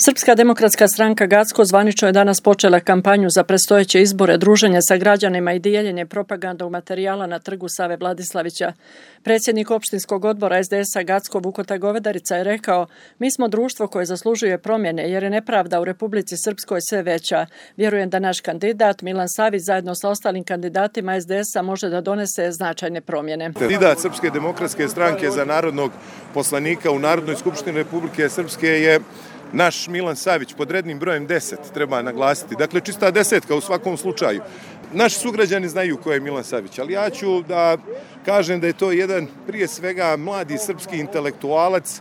Srpska demokratska stranka Gacko zvanično je danas počela kampanju za predstojeće izbore, druženje sa građanima i dijeljenje propagandnog materijala na trgu Save Vladislavića. Predsjednik opštinskog odbora SDS-a Gacko Vukota Govedarica je rekao: "Mi smo društvo koje zaslužuje promjene jer je nepravda u Republici Srpskoj sve veća. Vjerujem da naš kandidat Milan Savić zajedno sa ostalim kandidatima SDS-a može da donese značajne promjene." Kandidat Srpske demokratske stranke za narodnog poslanika u Narodnoj skupštini Republike Srpske je naš Milan Savić pod rednim brojem 10, treba naglasiti. Dakle, čista desetka u svakom slučaju. Naši sugrađani znaju ko je Milan Savić, ali ja ću da kažem da je to jedan, prije svega, mladi srpski intelektualac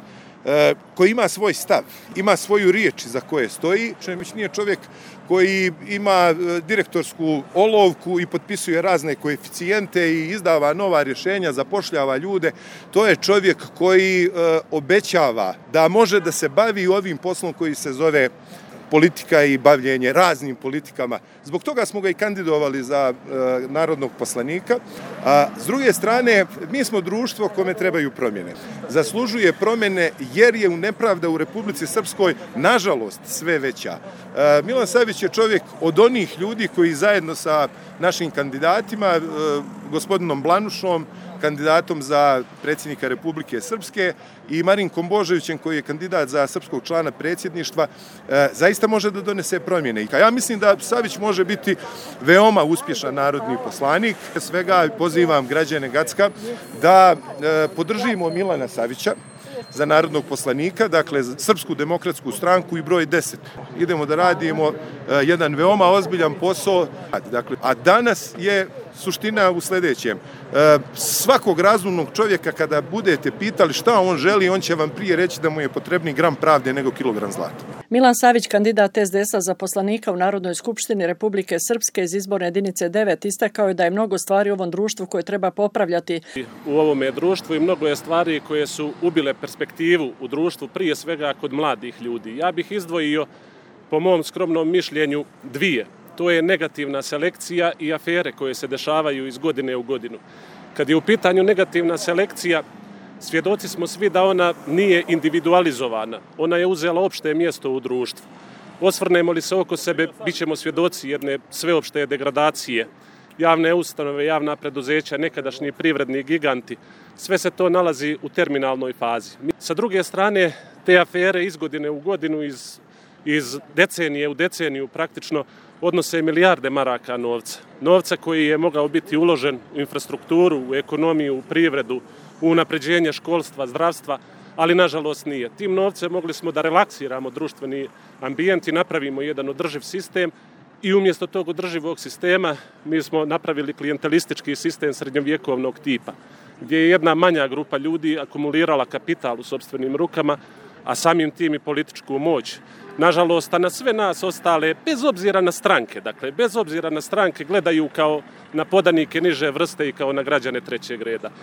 koji ima svoj stav, ima svoju riječ za koje stoji. Već nije čovjek koji ima direktorsku olovku i potpisuje razne koeficijente i izdava nova rješenja, zapošljava ljude. To je čovjek koji obećava da može da se bavi ovim poslom koji se zove politika i bavljenje raznim politikama. Zbog toga smo ga i kandidovali za narodnog poslanika. A s druge strane, mi smo društvo kome trebaju promjene. Zaslužuje promjene jer je nepravda u Republici Srpskoj, nažalost, sve veća. Milan Savić je čovjek od onih ljudi koji zajedno sa našim kandidatima, gospodinom Blanušom, kandidatom za predsjednika Republike Srpske, i Marinkom Božovićem, koji je kandidat za srpskog člana predsjedništva, zaista može da donese promjene. Ja mislim da Savić može biti veoma uspješan narodni poslanik. Svega pozivam građane Gacka da podržimo Milana Savića za narodnog poslanika, dakle za Srpsku demokratsku stranku i broj 10. Idemo da radimo jedan veoma ozbiljan posao. Dakle, a danas je suština u sljedećem. Svakog razumnog čovjeka kada budete pitali šta on želi, on će vam prije reći da mu je potrebni gram pravde nego kilogram zlata. Milan Savić, kandidat SDS-a za poslanika u Narodnoj skupštini Republike Srpske iz izborne jedinice 9, istakao je da je mnogo stvari u ovom društvu koje treba popravljati. U ovome društvu i mnogo je stvari koje su ubile perspektivu u društvu, prije svega kod mladih ljudi. Ja bih izdvojio, po mom skromnom mišljenju, dvije. To je negativna selekcija i afere koje se dešavaju iz godine u godinu. Kad je u pitanju negativna selekcija, svjedoci smo svi da ona nije individualizovana. Ona je uzela opšte mjesto u društvu. Osvrnemo li se oko sebe, bit ćemo svjedoci jedne sveopšte degradacije. Javne ustanove, javna preduzeća, nekadašnji privredni giganti, sve se to nalazi u terminalnoj fazi. Sa druge strane, te afere iz godine u godinu, iz decenije u deceniju praktično odnose milijarde maraka novca. Novca koji je mogao biti uložen u infrastrukturu, u ekonomiju, u privredu, u unapređenje školstva, zdravstva, ali nažalost nije. Tim novcem mogli smo da relaksiramo društveni ambijent i napravimo jedan održiv sistem, i umjesto tog održivog sistema mi smo napravili klijentelistički sistem srednjovjekovnog tipa, gdje je jedna manja grupa ljudi akumulirala kapital u sopstvenim rukama, a samim tim i političku moć. Nažalost, a na sve nas ostale, bez obzira na stranke, gledaju kao na podanike niže vrste i kao na građane trećeg reda.